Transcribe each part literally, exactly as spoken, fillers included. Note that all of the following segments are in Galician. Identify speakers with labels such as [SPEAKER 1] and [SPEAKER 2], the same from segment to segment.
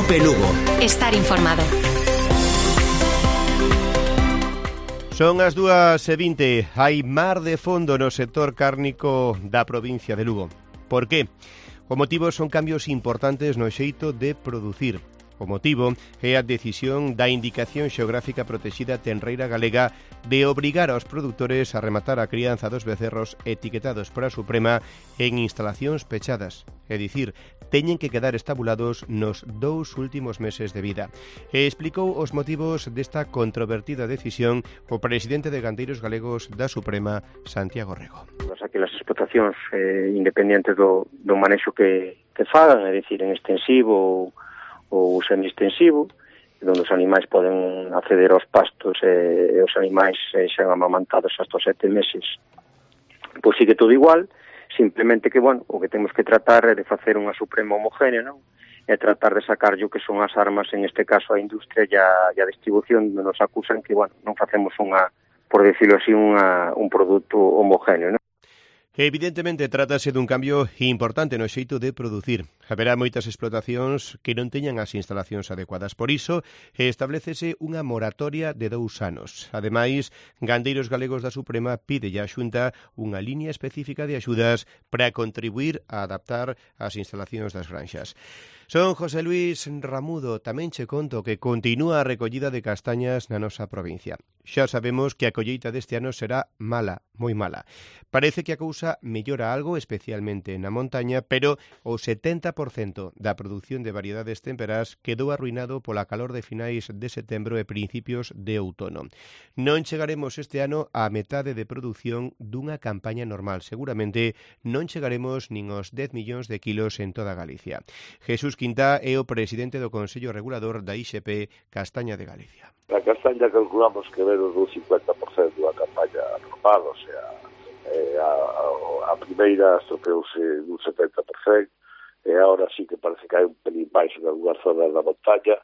[SPEAKER 1] Cope Lugo.
[SPEAKER 2] Estar informado.
[SPEAKER 3] Son as dúas e vinte. Hai mar de fondo no sector cárnico da provincia de Lugo. Por qué? O motivo son cambios importantes no xeito de producir. O motivo é a decisión da Indicación Xeográfica Protexida Tenreira Galega de obrigar aos produtores a rematar a crianza dos becerros etiquetados por a Suprema en instalacións pechadas. É dicir, teñen que quedar estabulados nos dous últimos meses de vida. E explicou os motivos desta controvertida decisión o presidente de Gandeiros Galegos da Suprema, Santiago Rego.
[SPEAKER 4] Aquí as explotacións eh, independentes do, do manexo que, que fagan, é dicir, en extensivo ou ou semi-extensivo, onde os animais poden acceder aos pastos e, e os animais eh, xan amamantados hasta os sete meses. Pois sigue todo igual, simplemente que, bueno, o que temos que tratar é de facer unha suprema homogénea, non? E tratar de sacar o que son as armas, en este caso a industria e a, e a distribución, onde nos acusan que, bueno, non facemos unha, por decirlo así, unha, un produto homogéneo, non?
[SPEAKER 3] Evidentemente, trátase dun cambio importante no xeito de producir. Haberá moitas explotacións que non teñan as instalacións adecuadas. Por iso, establecese unha moratoria de dous anos. Ademais, Gandeiros Galegos da Suprema pide á Xunta unha liña específica de axudas para contribuir a adaptar as instalacións das granxas. Son José Luis Ramudo, tamén che conto que continúa a recollida de castañas na nosa provincia. Xa sabemos que a colleita deste ano será mala, moi mala. Parece que a cousa mellora algo, especialmente na montaña, pero o setenta por cento da produción de variedades temperás quedou arruinado pola calor de finais de setembro e principios de outono. Non chegaremos este ano á metade de produción dunha campaña normal. Seguramente non chegaremos nin aos dez millóns de kilos en toda Galicia. Jesús Quintá é o presidente do Consello Regulador da I X P Castaña de Galicia.
[SPEAKER 5] A castaña calculamos que menos do cincuenta por cento da campaña normal, o sea, eh, a, a, a primeira estropeouse dun setenta por cento, e agora sí que parece que hai un pelín máis en algunhas zonas da montaña,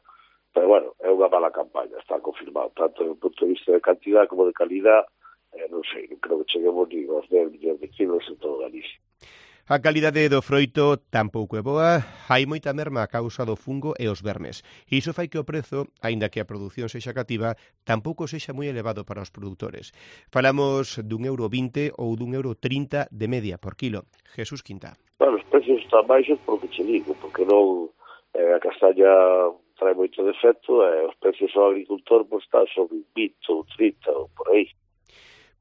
[SPEAKER 5] pero bueno, é unha mala campaña, está confirmado, tanto do punto de vista de cantidad como de calidad, eh, non sei, non creo que cheguemos ni aos dez millóns de kilos en todo Galicia.
[SPEAKER 3] A calidade do froito tampouco é boa, hai moita merma a causa do fungo e os vermes. Iso fai que o prezo, aínda que a produción sexa cativa, tampouco sexa moi elevado para os produtores. Falamos dun euro vinte ou dun euro trinta de media por kilo. Jesús Quintá.
[SPEAKER 5] Bueno, os precios están baixos porque che digo, porque non eh, a castaña trae moito defecto e os precios ao agricultor pues, están sobre vinte ou trinta ou por aí.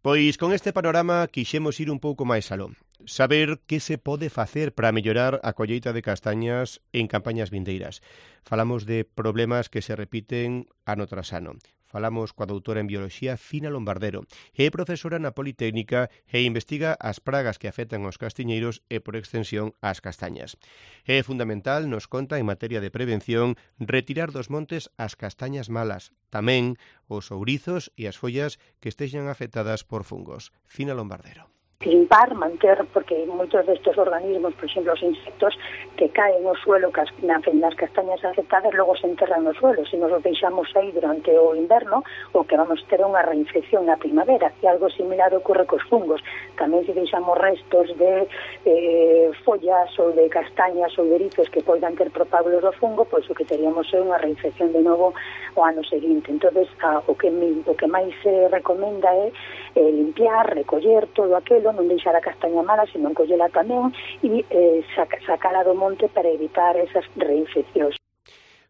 [SPEAKER 3] Pois con este panorama quixemos ir un pouco máis aló. Saber que se pode facer para mellorar a colleita de castañas en campañas vindeiras. Falamos de problemas que se repiten ano tras ano. Falamos coa doutora en Bioloxía Fina Lombardero. É profesora na Politécnica e investiga as pragas que afectan aos castiñeiros e, por extensión, as castañas. É fundamental, nos conta en materia de prevención, retirar dos montes as castañas malas, tamén os ourizos e as follas que estexan afectadas por fungos. Fina Lombardero.
[SPEAKER 6] Limpar, manter, porque moitos destes organismos, por exemplo, os insectos que caen no suelo cas, nas castañas afectadas, logo se enterran no suelo. Se nos os deixamos aí durante o inverno, o que vamos ter unha reinfección na primavera, e algo similar ocorre cos fungos. Tamén se deixamos restos de eh, follas ou de castañas ou de erizos que poidan ter propábulos do fungo, pois o que teríamos é unha reinfección de novo o ano seguinte. Entonces, a, o, que, o que máis se recomenda é eh, limpiar, recoller todo aquilo, non deixar a castaña mala, sino collela tamén e eh, sac, sacala do monte para evitar esas reinfeccións.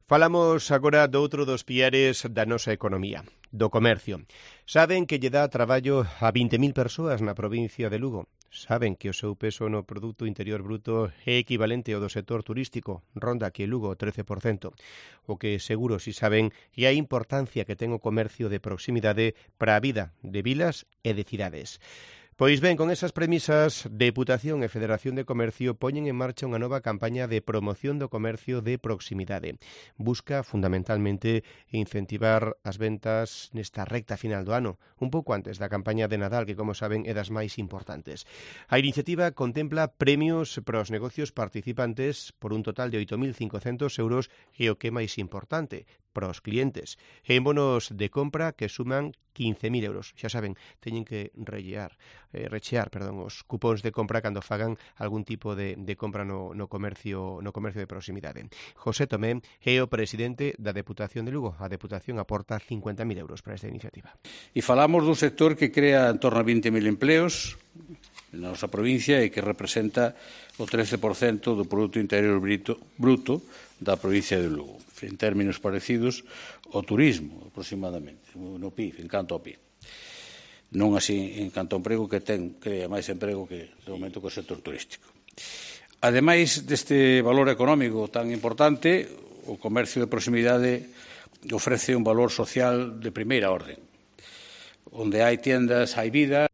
[SPEAKER 3] Falamos agora do outro dos piares da nosa economía, do comercio. Saben que lle dá traballo a vinte mil persoas na provincia de Lugo. Saben que o seu peso no Produto Interior Bruto é equivalente ao do sector turístico, ronda que Lugo o trece por cento. O que seguro si saben é a importancia que ten o comercio de proximidade para a vida de vilas e de cidades. Pois ben, con esas premisas, Deputación e Federación de Comercio poñen en marcha unha nova campaña de promoción do comercio de proximidade. Busca, fundamentalmente, incentivar as ventas nesta recta final do ano, un pouco antes da campaña de Nadal, que, como saben, é das máis importantes. A iniciativa contempla premios para os negocios participantes por un total de oito mil cincocentos euros e, o que é máis importante, para os clientes. En bonos de compra que suman quince mil euros. Xa saben, teñen que rellear, eh, rechear, perdón, os cupóns de compra cando fagan algún tipo de, de compra no, no comercio no comercio de proximidade. José Tomé é o presidente da Deputación de Lugo. A Deputación aporta cincuenta mil euros para esta iniciativa.
[SPEAKER 1] E falamos dun sector que crea en torno a vinte mil empleos na nosa provincia e que representa o trece por cento do Produto Interior Bruto, bruto da provincia de Lugo, en términos parecidos ao turismo, aproximadamente, no P I B, en canto ao P I B. Non así en canto ao emprego, que ten, crea máis emprego que, de momento, co sector turístico. Ademais deste valor económico tan importante, o comercio de proximidade ofrece un valor social de primeira orden. Onde hai tiendas, hai vida.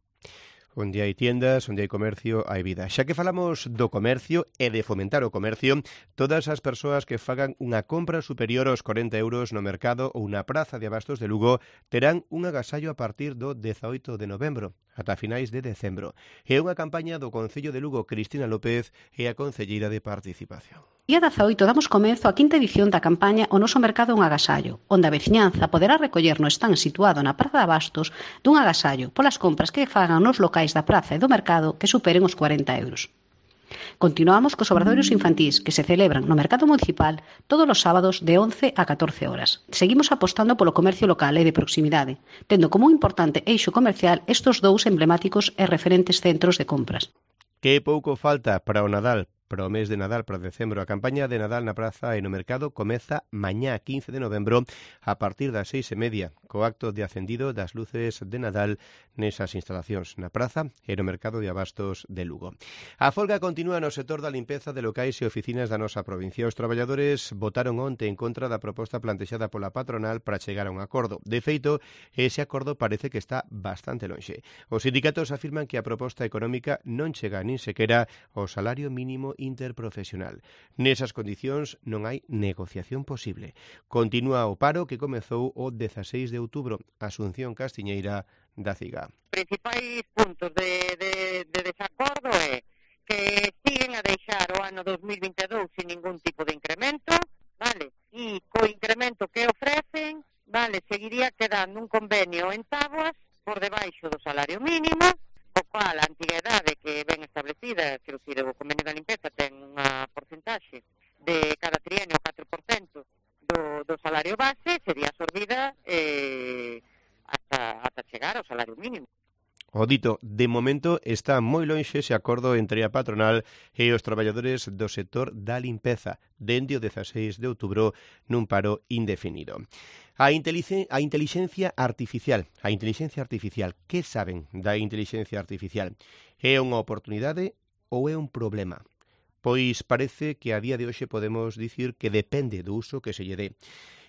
[SPEAKER 3] Onde hai tiendas, onde hai comercio, hai vida. Xa que falamos do comercio e de fomentar o comercio, todas as persoas que fagan unha compra superior aos corenta euros no mercado ou na praza de abastos de Lugo terán un agasallo a partir do dezaoito de novembro, ata finais de decembro. É unha campaña do Concello de Lugo. Cristina López é a concelleira de Participación.
[SPEAKER 2] Día dezaoito damos comezo á quinta edición da campaña O Noso Mercado é un agasallo, onde a veciñanza poderá recoller no stand situado na Praza de Abastos dun agasallo polas compras que fagan nos locais da praza e do mercado que superen os corenta euros. Continuamos cos obradoiros infantís que se celebran no mercado municipal todos os sábados de once a catorce horas. Seguimos apostando polo comercio local e de proximidade, tendo como un importante eixo comercial estes dous emblemáticos e referentes centros de compras.
[SPEAKER 3] Que pouco falta para o Nadal, para o mes de Nadal, para decembro. A campaña de Nadal na praza e no mercado comeza mañá quince de novembro a partir das seis e media, co acto de acendido das luces de Nadal nesas instalacións na praza e no mercado de abastos de Lugo. A folga continúa no sector da limpeza de locais e oficinas da nosa provincia. Os traballadores votaron onte en contra da proposta plantexada pola patronal para chegar a un acordo. De feito, ese acordo parece que está bastante lonxe. Os sindicatos afirman que a proposta económica non chega nin sequera ao salario mínimo interprofesional. Nesas condicións non hai negociación posible. Continúa o paro que comezou o dezaseis de outubro. Asunción Castiñeira, da CIGA.
[SPEAKER 7] Principais puntos de, de, de desacordo é que siguen a deixar o ano dos mil vinte e dous sin ningún tipo de incremento, vale? E co incremento que ofrecen, vale, seguiría quedando un convenio en táboas por debaixo do salario mínimo, o cual a antiguidade que ven establecida, quero dicir, o convenio da limpeza ten unha porcentaxe de cada trienio catro por cento do, do salario base, sería absorbida eh, hasta, hasta chegar ao salario mínimo.
[SPEAKER 3] O dito, de momento está moi lonxe ese acordo entre a patronal e os traballadores do sector da limpeza, dende o dezaseis de outubro nun paro indefinido. A, inteligencia, a inteligencia artificial, a inteligencia artificial, que saben da inteligencia artificial? É unha oportunidade ou é un problema? Pois parece que a día de hoxe podemos dicir que depende do uso que se lle dé.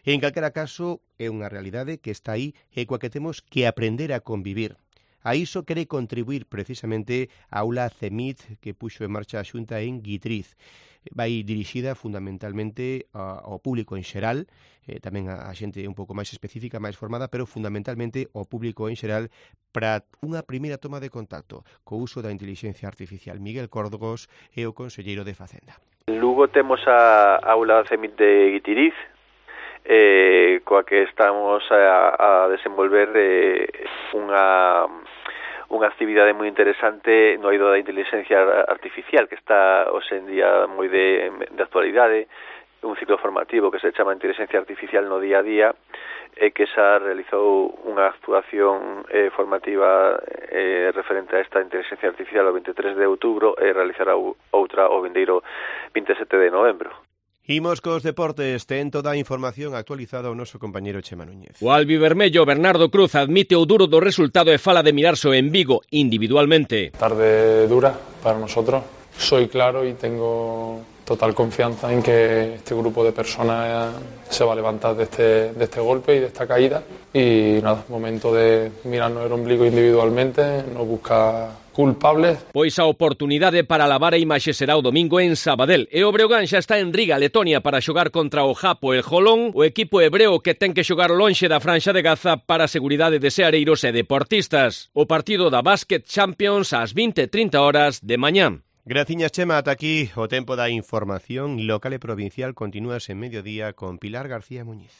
[SPEAKER 3] En calquera caso, é unha realidade que está aí e coa que temos que aprender a convivir. A iso quere contribuir precisamente a aula CEMIT que puxo en marcha a Xunta en Guitriz. Vai dirixida fundamentalmente ao público en xeral, eh, tamén a xente un pouco máis específica, máis formada, pero fundamentalmente ao público en xeral para unha primeira toma de contacto co uso da inteligencia artificial. Miguel Córdogos é o conselleiro de Facenda.
[SPEAKER 8] En Lugo temos a aula CEMIT de Guitiriz, eh, coa que estamos a, a desenvolver eh, unha unha actividade moi interesante no eido da inteligencia artificial que está hoxe en día moi de, de actualidade, un ciclo formativo que se chama Inteligencia Artificial no día a día e que xa realizou unha actuación eh, formativa eh, referente a esta inteligencia artificial o veintitrés de outubro e realizará outra o vindeiro vinte e sete de novembro.
[SPEAKER 3] Imos cos deportes, ten toda a información actualizada o noso compañeiro Chema Núñez.
[SPEAKER 9] O albivermello Bernardo Cruz admite o duro do resultado e fala de mirarse en Vigo individualmente.
[SPEAKER 10] Tarde dura para nosotros, soy claro y tengo total confianza en que este grupo de personas se va a levantar de este, de este golpe y de esta caída y nada, momento de mirarnos el ombligo individualmente, no buscar culpables.
[SPEAKER 9] Pois a oportunidade para lavar a imaxe será o domingo en Sabadell e o Breogán xa está en Riga, Letonia, para xogar contra o Japo el Jolón, o equipo hebreo que ten que xogar lonxe da franxa de Gaza para a seguridade de seareiros e deportistas. O partido da Basket Champions ás vinte e trinta horas de mañá.
[SPEAKER 3] Graciñas, Chema, ata aquí o tempo da información local e provincial. Continúas en Mediodía con Pilar García Muñiz.